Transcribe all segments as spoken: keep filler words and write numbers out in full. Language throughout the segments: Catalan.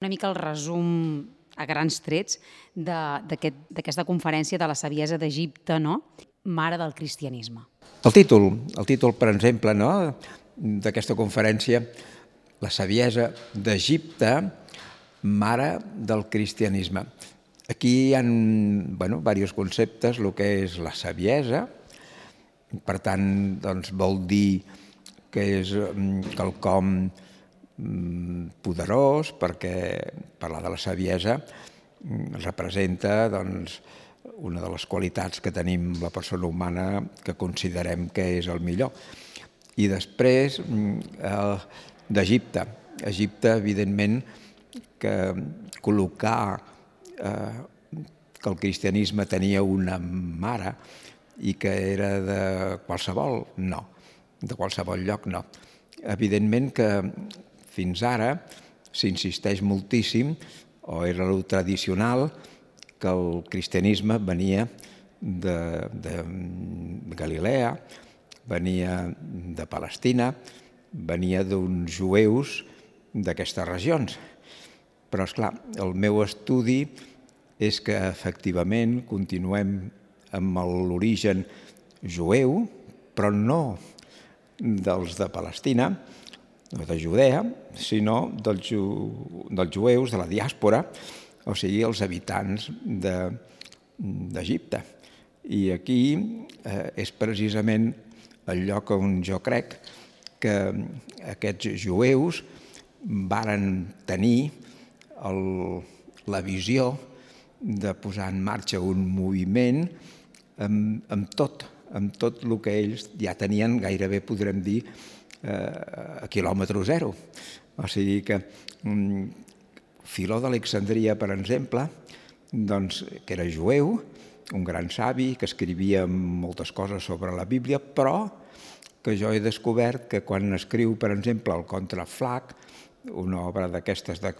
Una mica el resum a grans trets d'aquesta conferència de la saviesa d'Egipte, no? Mare del cristianisme. El títol, el títol, per exemple, no? d'aquesta conferència, la saviesa d'Egipte, mare del cristianisme. Aquí hi ha bueno, diversos conceptes, el que és la saviesa, per tant, doncs, vol dir que és quelcom poderós, perquè parlar de la saviesa representa doncs, una de les qualitats que tenim la persona humana que considerem que és el millor. I després, d'Egipte. Egipte, evidentment, que col·locar eh, que el cristianisme tenia una mare i que era de qualsevol, no. De qualsevol lloc, no. Evidentment que fins ara s'insisteix moltíssim, o era el tradicional, que el cristianisme venia de, de Galilea, venia de Palestina, venia d'uns jueus d'aquestes regions. Però, esclar, el meu estudi és que efectivament continuem amb l'origen jueu, però no dels de Palestina, no de Judea, sinó dels, ju... dels jueus de la diàspora, o sigui, els habitants d'Egipte. I aquí eh, és precisament el lloc on jo crec que aquests jueus varen tenir el, la visió de posar en marxa un moviment amb, amb tot, amb tot el que ells ja tenien, gairebé podrem dir, a quilòmetre zero. O sigui que um, Filó d'Alexandria, per exemple, doncs, que era jueu, un gran savi, que escrivia moltes coses sobre la Bíblia, però que jo he descobert que quan escriu, per exemple, el Contra Flac, una obra d'aquestes de,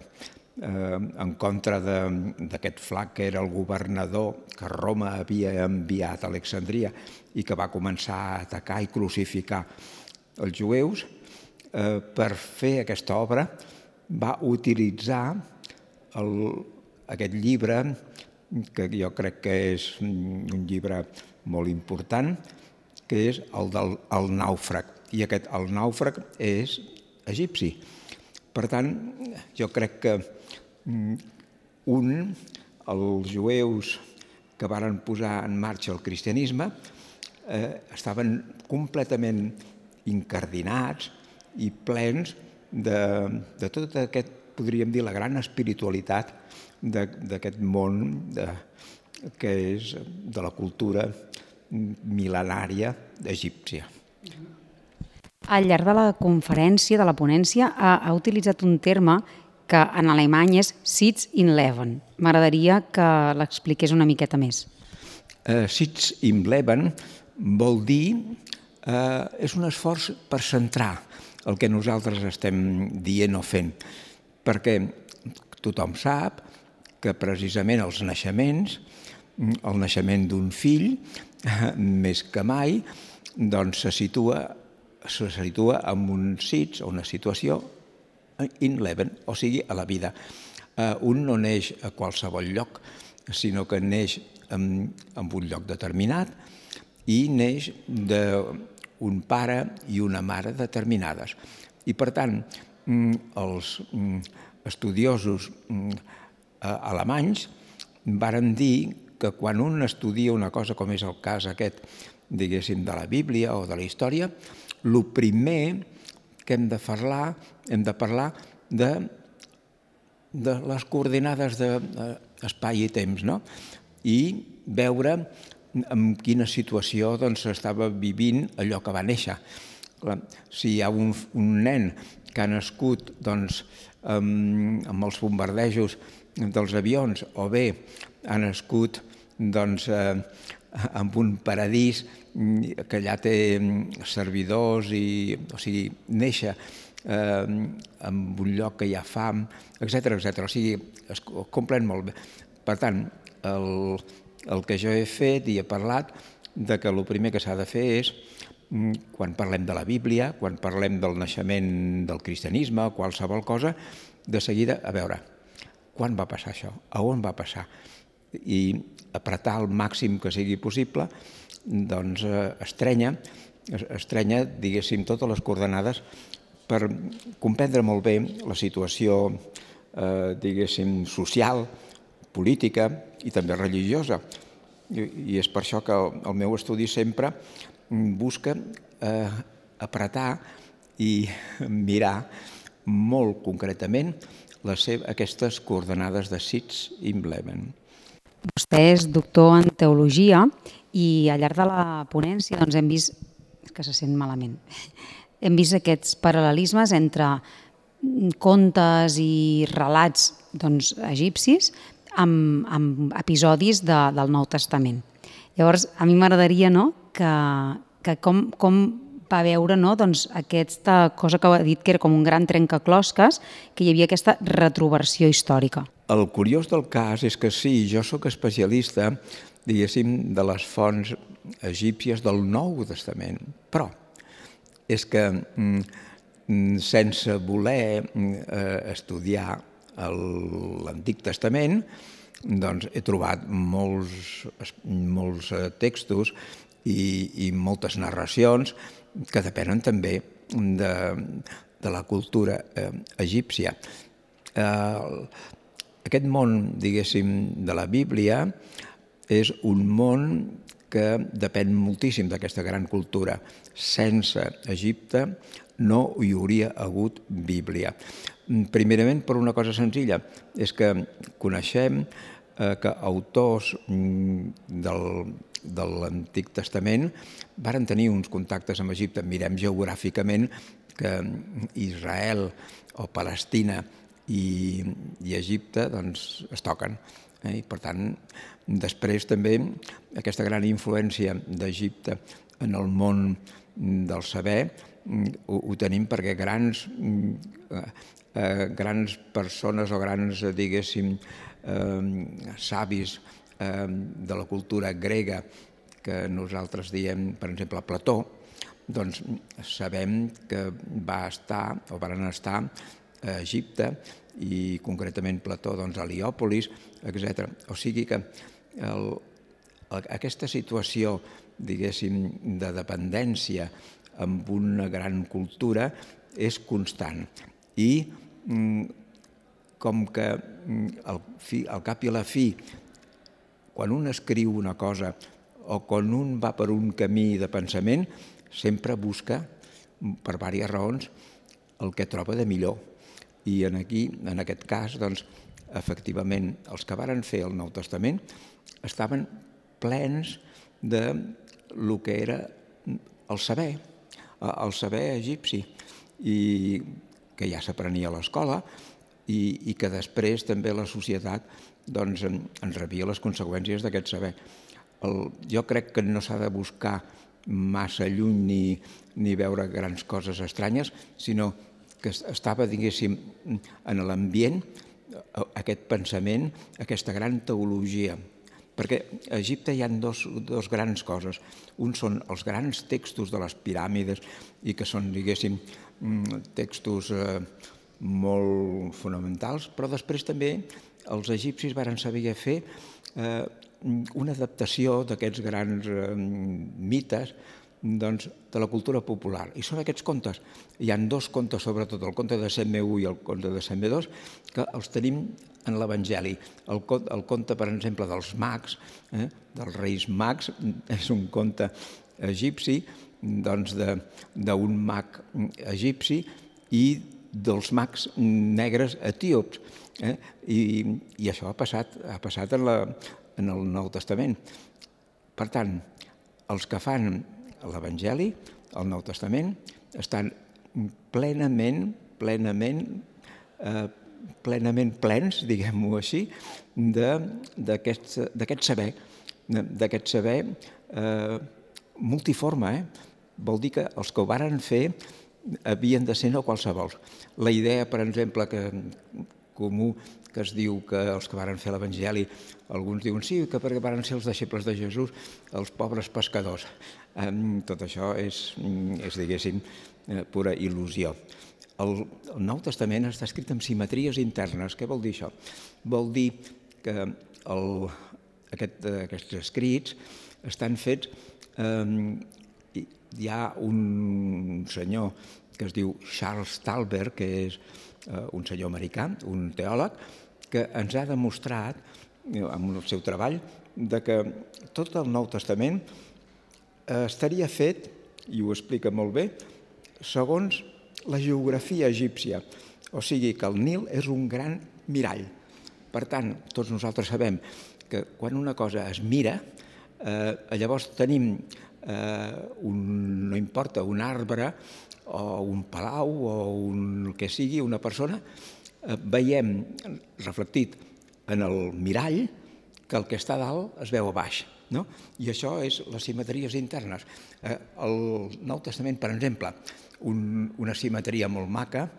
eh, en contra d'aquest Flac, que era el governador que Roma havia enviat a Alexandria i que va començar a atacar i crucificar els jueus, eh, per fer aquesta obra va utilitzar el, aquest llibre, que jo crec que és un llibre molt important, que és el del el nàufrag. I aquest, el nàufrag, és egipci. Per tant, jo crec que un, els jueus que varen posar en marxa el cristianisme, eh, estaven completament incardinats i plens de, de tot aquest, podríem dir, la gran espiritualitat d'aquest món de, que és de la cultura mil·lenària egípcia. Al llarg de la conferència, de la ponència, ha, ha utilitzat un terme que en alemany és Sitz im Leben. M'agradaria que l'expliqués una miqueta més. Uh, Sitz im Leben vol dir Uh, és un esforç per centrar el que nosaltres estem dient o fent, perquè tothom sap que precisament els naixements, el naixement d'un fill, més que mai, doncs se situa, se situa en un sitz o una situació in leben, o sigui, a la vida. Uh, un no neix a qualsevol lloc, sinó que neix en, en un lloc determinat i neix de un pare i una mare determinades. I, per tant, els estudiosos alemanys varen dir que quan un estudia una cosa com és el cas aquest, diguéssim, de la Bíblia o de la història, el primer que hem de parlar, hem de parlar de, de les coordinades d'espai i temps, no? I veure en quina situació s'estava vivint allò que va néixer. Si hi ha un nen que ha nascut amb els bombardejos dels avions o bé ha nascut en un paradís que allà té servidors, o sigui, néixer en un lloc que hi ha fam, etcètera, etcètera. O sigui, es completen molt bé. Per tant, el El que jo he fet i he parlat de que el primer que s'ha de fer és, quan parlem de la Bíblia, quan parlem del naixement del cristianisme, qualsevol cosa, de seguida, a veure, quan va passar això, a on va passar, i apretar el màxim que sigui possible, doncs estrenya, estrenya, diguéssim, totes les coordenades per comprendre molt bé la situació, eh, diguéssim, social, política i també religiosa. I, i és per això que el, el meu estudi sempre busca eh, apretar i mirar molt concretament les seves, aquestes coordenades de Sitz i Bleven. Vostè és doctor en teologia i al llarg de la ponència doncs, hem vist, que se sent malament, hem vist aquests paral·lelismes entre contes i relats doncs, egipcis amb, amb episodis de, del Nou Testament. Llavors, a mi m'agradaria no, que, que com, com va veure no, doncs, aquesta cosa que ha dit que era com un gran trencaclosques, que hi havia aquesta retroversió històrica. El curiós del cas és que sí, jo sóc especialista, diguéssim, de les fonts egípcies del Nou Testament, però és que sense voler estudiar l'Antic Testament, doncs he trobat molts, molts textos i, i moltes narracions que depenen també de, de la cultura egípcia. Aquest món, diguéssim, de la Bíblia és un món que depèn moltíssim d'aquesta gran cultura. Sense Egipte no hi hauria hagut Bíblia. Primerament per una cosa senzilla, és que coneixem que autors del, de l'Antic Testament varen tenir uns contactes amb Egipte. Mirem geogràficament que Israel o Palestina i, i Egipte doncs, es toquen. Eh? I per tant, després també aquesta gran influència d'Egipte en el món del saber ho, ho tenim perquè grans, eh, grans persones o grans, diguéssim, eh, savis eh, de la cultura grega que nosaltres diem, per exemple, Plató, doncs sabem que va estar o van estar a Egipte i concretament Plató doncs, a Heliòpolis, etcètera. O sigui que el, aquesta situació, diguéssim, de dependència amb una gran cultura és constant. I com que al, fi, al cap i a la fi, quan un escriu una cosa o quan un va per un camí de pensament, sempre busca, per diverses raons, el que troba de millor. I en, aquí, en aquest cas, doncs, efectivament, els que varen fer el Nou Testament estaven plens de lo que era el saber, el saber egipci, i que ja s'aprenia a l'escola i, i que després també la societat doncs, ens rebia les conseqüències d'aquest saber. El, jo crec que no s'ha de buscar massa lluny ni, ni veure grans coses estranyes, sinó que estava, diguéssim, en l'ambient aquest pensament, aquesta gran teologia. Perquè a Egipte hi ha dos, dos grans coses. Un són els grans textos de les piràmides i que són, diguéssim, textos eh, molt fonamentals, però després també els egipcis varen saber fer eh, una adaptació d'aquests grans eh, mites doncs, de la cultura popular. I són aquests contes. Hi ha dos contes, sobretot el conte de Seme I i el conte de Seme dos, que els tenim en l'Evangeli. El, el conte, per exemple, dels mags, eh, dels reis mags, és un conte egipci, doncs d'un mag egipci i dels mags negres etíops. Eh? I, I això ha passat, ha passat en, la, en el Nou Testament. Per tant, els que fan l'Evangeli, el Nou Testament, estan plenament, plenament, eh, plenament plens, diguem-ho així, d'aquest saber, d'aquest saber eh, multiforme. Eh? Vol dir que els que ho varen fer havien de ser no qualsevols. La idea, per exemple, que comú que es diu que els que varen fer l'Evangeli, alguns diuen sí, que perquè varen ser els deixebles de Jesús, els pobres pescadors. Tot això és, és diguéssim, pura il·lusió. el, el Nou Testament està escrit amb simetries internes. Què vol dir això? Vol dir que el, aquest, aquests escrits estan fets... Eh, hi ha un senyor que es diu Charles Talbert, que és eh, un senyor americà, un teòleg, que ens ha demostrat, eh, amb el seu treball, de que tot el Nou Testament eh, estaria fet, i ho explica molt bé, segons la geografia egípcia. O sigui que el Nil és un gran mirall. Per tant, tots nosaltres sabem que quan una cosa es mira, eh, llavors tenim, eh, un, no importa, un arbre o un palau o un, el que sigui, una persona, eh, veiem reflectit en el mirall que el que està a dalt es veu a baix. No? I això és les simetries internes. Eh, el Nou Testament, per exemple, un, una simetria molt maca,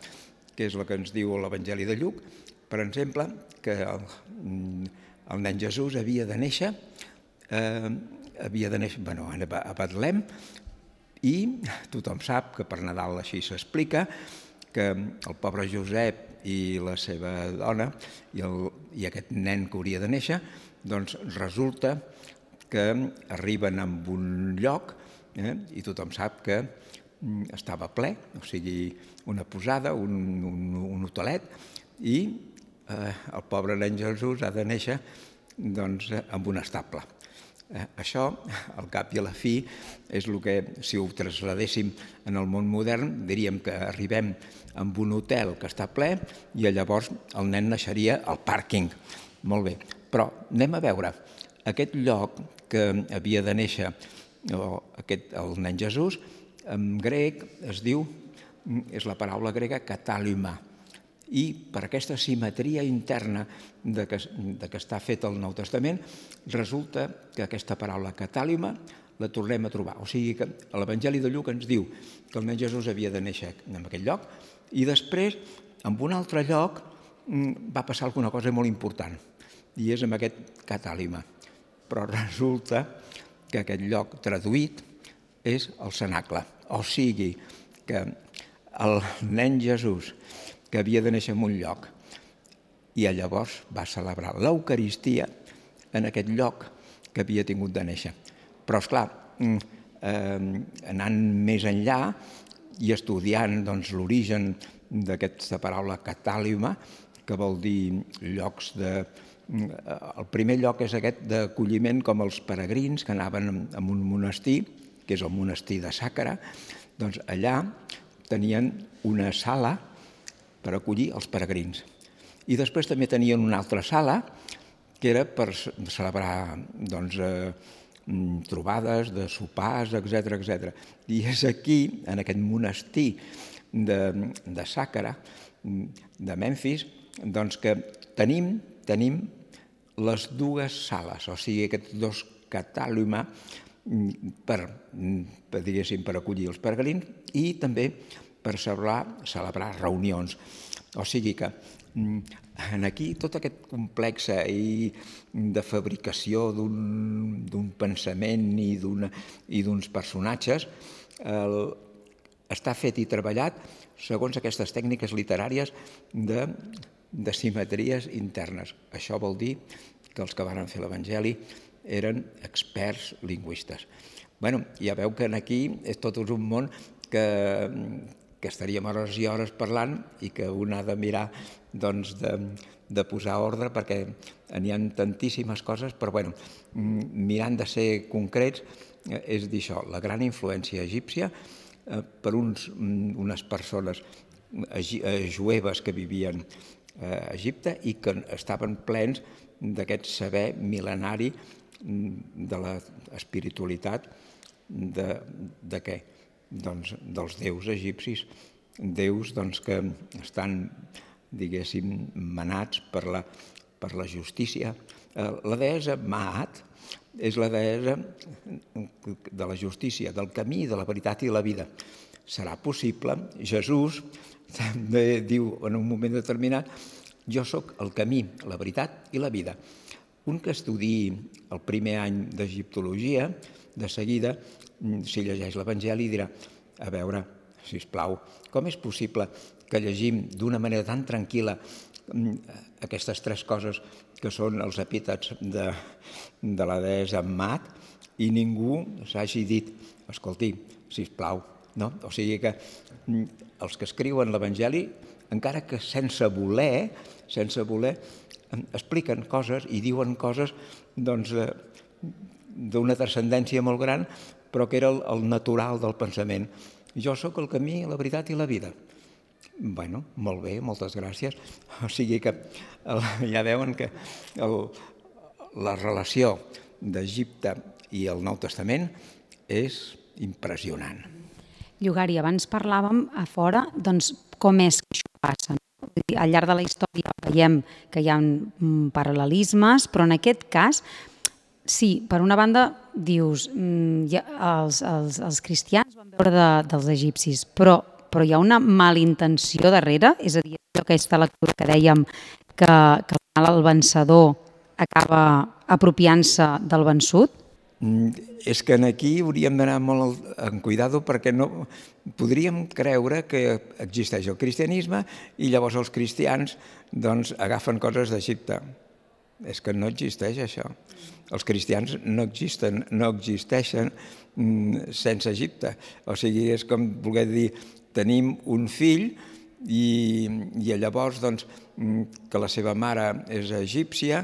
que és la que ens diu l'Evangeli de Lluc, per exemple, que el, el nen Jesús havia de néixer, eh, havia de néixer bueno, a Betlem, i tothom sap que per Nadal així s'explica, que el pobre Josep i la seva dona i, el, i aquest nen que hauria de néixer, doncs resulta que arriben a un lloc, eh, i tothom sap que estava ple, o sigui, una posada, un, un, un hotelet, i eh, el pobre nen Jesús ha de néixer doncs, amb un estable. Eh, això, al cap i a la fi, és el que, si ho trasladéssim en el món modern, diríem que arribem amb un hotel que està ple i llavors el nen naixeria al pàrquing. Molt bé, però anem a veure. Aquest lloc que havia de néixer o aquest, el nen Jesús, en grec es diu, és la paraula grega katalima, i per aquesta simetria interna de que, de que està fet el Nou Testament, resulta que aquesta paraula katalima la tornem a trobar. O sigui que l'Evangeli de Lluc ens diu que el nen Jesús havia de néixer en aquell lloc i després, en un altre lloc, va passar alguna cosa molt important, i és en aquest katalima. Però resulta que aquest lloc traduït és el cenacle. O sigui que el nen Jesús, que havia de néixer en un lloc, i llavors va celebrar l'Eucaristia en aquest lloc que havia tingut de néixer. Però, esclar, eh, anant més enllà i estudiant doncs, l'origen d'aquesta paraula catàlima, que vol dir llocs de... El primer lloc és aquest d'acolliment com els peregrins que anaven a un monestir, que és el monestir de Sàcara, doncs allà tenien una sala per acollir els peregrins. I després també tenien una altra sala que era per celebrar doncs, eh, trobades de sopars, etcètera, etcètera. I és aquí, en aquest monestir de, de Sàcara, de Memfis, doncs que tenim, tenim les dues sales, o sigui, aquests dos catàlima per, per, diguéssim, per acollir els peregrins i també per celebrar, celebrar reunions. O sigui que aquí tot aquest complex de fabricació d'un pensament i d'uns personatges el, està fet i treballat segons aquestes tècniques literàries de, de simetries internes. Això vol dir que els que van fer l'Evangeli eren experts lingüistes. Bueno, ja veu que aquí és tot un món que, que estaríem hores i hores parlant i que un ha de mirar doncs, de, de posar ordre perquè n'hi ha tantíssimes coses, però bueno, mirant de ser concrets és dir això, la gran influència egípcia per uns, unes persones jueves que vivien a Egipte i que estaven plens d'aquest saber mil·lenari de l'espiritualitat de, de què? Doncs dels déus egipcis, déus doncs, que estan, diguéssim, manats per la, per la justícia. La deessa Maat és la deessa de la justícia, del camí, de la veritat i la vida. Serà possible, Jesús també diu en un moment determinat, jo sóc el camí, la veritat i la vida. Un que estudiï el primer any d'egiptologia, de seguida, si llegeix l'Evangeli, dirà, a veure, sisplau, com és possible que llegim d'una manera tan tranquil·la aquestes tres coses que són els epítets de, de la deessa Mat, i ningú s'hagi dit, escolti, sisplau, no? O sigui que els que escriuen l'Evangeli, encara que sense voler, sense voler, expliquen coses i diuen coses doncs, d'una transcendència molt gran, però que era el, el natural del pensament. Jo sóc el camí, la veritat i la vida. Bueno, molt bé, moltes gràcies. O sigui que el, ja veuen que el, la relació d'Egipte i el Nou Testament és impressionant. Llogari, abans parlàvem a fora doncs, com és que això passa. Al llarg de la història veiem que hi ha paral·lelismes, però en aquest cas, sí, per una banda, dius, ja, els, els, els cristians van veure de, dels egipcis, però, però hi ha una malintenció darrere, és a dir, aquesta lectura que dèiem que, que al final el vencedor acaba apropiant-se del vençut? És que aquí hauríem d'anar molt en cuidado perquè no podríem creure que existeix el cristianisme i llavors els cristians doncs, agafen coses d'Egipte. És que no existeix això. Els cristians no existen, no existeixen sense Egipte. O sigui, és com voler dir, tenim un fill i, i llavors doncs, que la seva mare és egípcia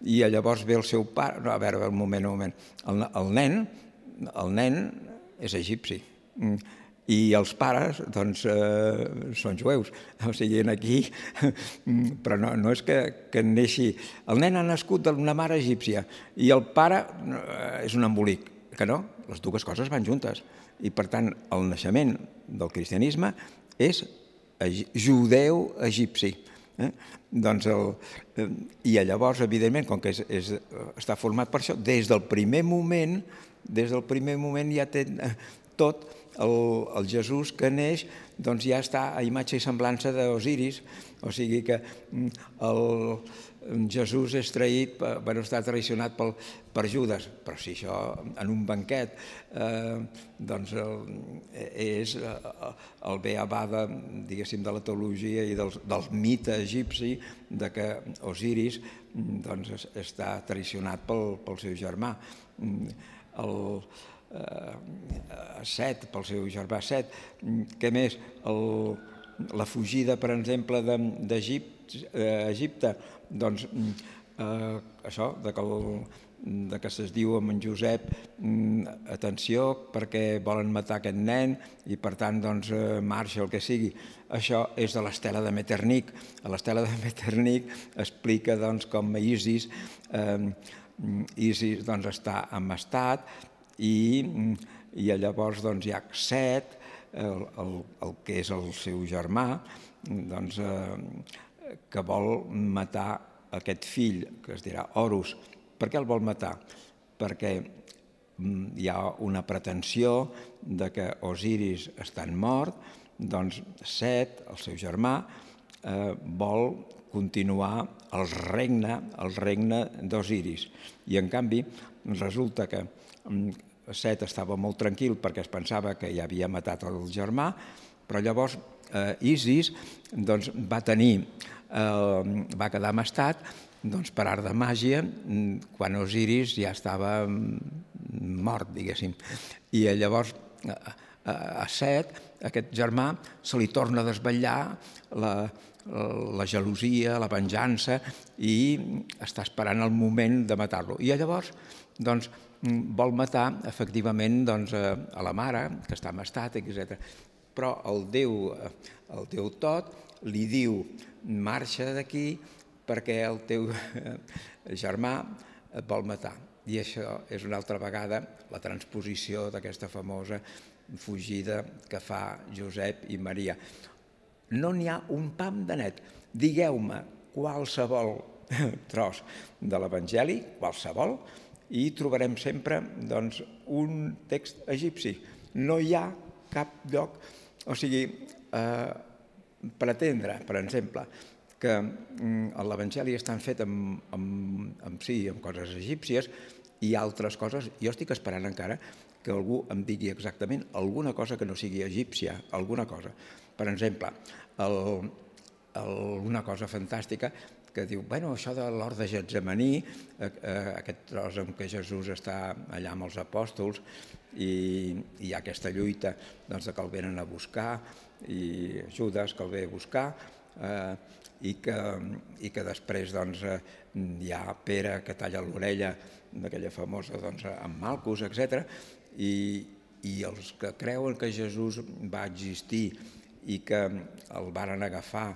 i llavors ve el seu pare... No, a veure, un moment, un moment. El, el nen, el nen és egipci i els pares doncs, eh, són jueus. O sigui, aquí... Però no, no és que, que neixi... El nen ha nascut d'una mare egípcia i el pare és un embolic, que no? Les dues coses van juntes. I, per tant, el naixement del cristianisme és judeu-egipci. Eh? Doncs el, i llavors, evidentment, com que és, és, està format per això, des del primer moment, des del primer moment ja té tot el, el Jesús que neix, doncs ja està a imatge i semblança d'Osiris, o sigui que el Jesús és traït, bueno, està traicionat pel, per Judes, però si això en un banquet eh, doncs el, és el beabà de, diguéssim, de la teologia i del, del mite egipci de que Osiris doncs, està traicionat pel, pel seu germà. El, eh, Set, pel seu germà Set. Què més? El, la fugida, per exemple, d'Egipte, doncs eh, això, de que, el, de que se'ls diu amb en Josep atenció perquè volen matar aquest nen i per tant doncs, marxa el que sigui. Això és de l'estela de Metternich. A l'estela de Metternich explica doncs, com Isis, eh, Isis doncs, està amastat i, i llavors doncs, hi ha Set, el, el, el que és el seu germà, doncs, eh, que vol matar aquest fill, que es dirà Horus. Per què el vol matar? Perquè hi ha una pretensió de que Osiris està mort, doncs Set, el seu germà, eh, vol continuar el regne, el regne d'Osiris. I en canvi resulta que Set estava molt tranquil perquè es pensava que ja havia matat el germà, però llavors eh, Isis doncs, va tenir, eh, va quedar amastat doncs, per art de màgia quan Osiris ja estava mort, diguéssim. I llavors a Set, aquest germà, se li torna a desvetllar la, la gelosia, la venjança i està esperant el moment de matar-lo. I llavors doncs, vol matar efectivament doncs, a la mare, que està amastat, etcètera. Però el Déu, el Déu tot li diu marxa d'aquí perquè el teu germà et vol matar. I això és una altra vegada la transposició d'aquesta famosa fugida que fa Josep i Maria. No n'hi ha un pam de net. Digueu-me qualsevol tros de l'Evangeli, qualsevol, i trobarem sempre doncs, un text egipci. No hi ha cap lloc, o sigui, eh, pretendre, per exemple, que l'Evangeli està fet amb, amb, amb, sí, amb coses egípcies i altres coses. Jo estic esperant encara que algú em digui exactament alguna cosa que no sigui egípcia, alguna cosa. Per exemple, el, el, una cosa fantàstica que diu, bueno, això de l'hort de Getsemaní, eh, eh, aquest tros en què Jesús està allà amb els apòstols i hi ha aquesta lluita doncs, que el venen a buscar i Judes que el ve a buscar eh, i, que, i que després doncs, eh, hi ha Pere que talla l'orella d'aquella famosa doncs, amb Malcus, etcètera. I, i els que creuen que Jesús va existir i que el varen agafar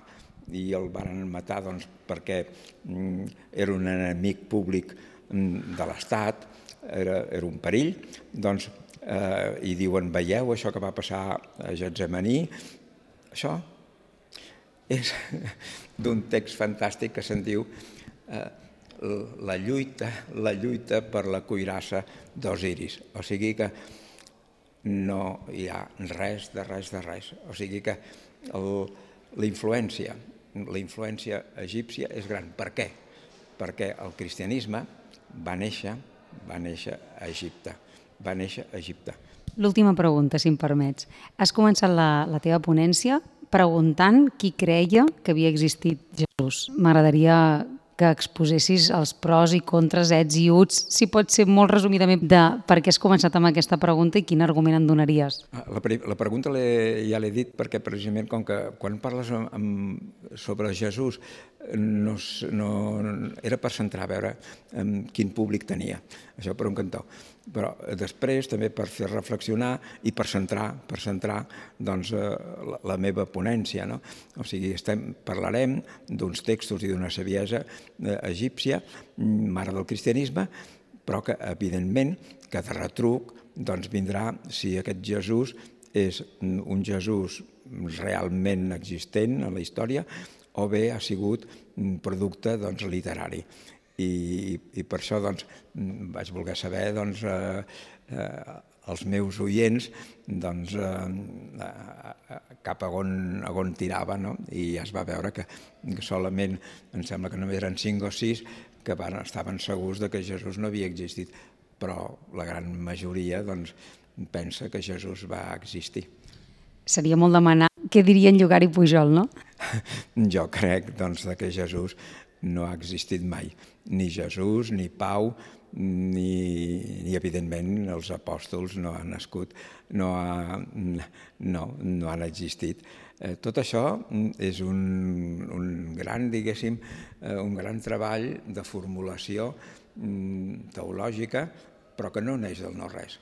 i el varen matar doncs, perquè mm, era un enemic públic mm, de l'Estat, era, era un perill, doncs, eh, i diuen, veieu això que va passar a Getsemaní? Això és d'un text fantàstic que se'n diu eh, la lluita, la lluita per la cuirassa d'Osiris. O sigui que no hi ha res de res de res. O sigui que el, la influència, la influència egípcia és gran. Per què? Perquè el cristianisme va néixer, va néixer a Egipte. Va néixer a Egipte. L'última pregunta, si em permets. Has començat la, la teva ponència preguntant qui creia que havia existit Jesús. M'agradaria que exposessis els pros i contres, ets i uts, si pot ser molt resumidament, de per què has començat amb aquesta pregunta i quin argument en donaries. La, la pregunta ja l'he dit perquè precisament com que quan parles amb, amb, sobre Jesús no, no, era per centrar a veure amb quin públic tenia, això per un cantó. Però després també per fer reflexionar i per centrar, per centrar doncs, la, la meva ponència. No? O sigui, estem, parlarem d'uns textos i d'una saviesa egípcia, mare del cristianisme, però que, evidentment, que de retruc doncs, vindrà si aquest Jesús és un Jesús realment existent a la història o bé ha sigut un producte doncs, literari. I, i per això doncs, vaig voler saber doncs, eh, eh, els meus oients doncs, eh, cap a on, a on tirava, no? I ja es va veure que, que solament, em sembla que només eren cinc o sis que van, estaven segurs de que Jesús no havia existit, però la gran majoria doncs, pensa que Jesús va existir. Seria molt demanar què dirien Llogar i Pujol, no? Jo crec doncs, que Jesús no ha existit mai, ni Jesús, ni Pau, ni, ni evidentment els apòstols no han nascut, no, ha, no, no han existit. Eh, tot això és un, un gran, diguéssim, eh, un gran treball de formulació mm, teològica, però que no neix del no-res.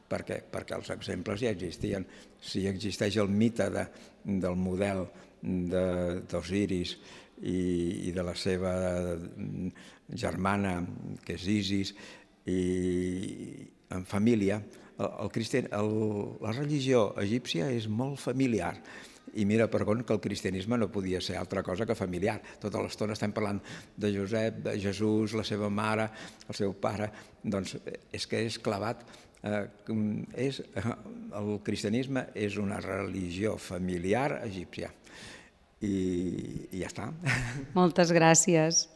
Per què? Perquè els exemples ja existien. Si existeix el mite de, del model d'Osiris i, i de la seva germana, que és Isis, i en família, el, el cristian, el, la religió egípcia és molt familiar. I mira per on que el cristianisme no podia ser altra cosa que familiar. Tota l'estona estem parlant de Josep, de Jesús, la seva mare, el seu pare. Doncs és que és clavat. Eh, és, el cristianisme és una religió familiar egípcia. I, i ja està. Moltes gràcies.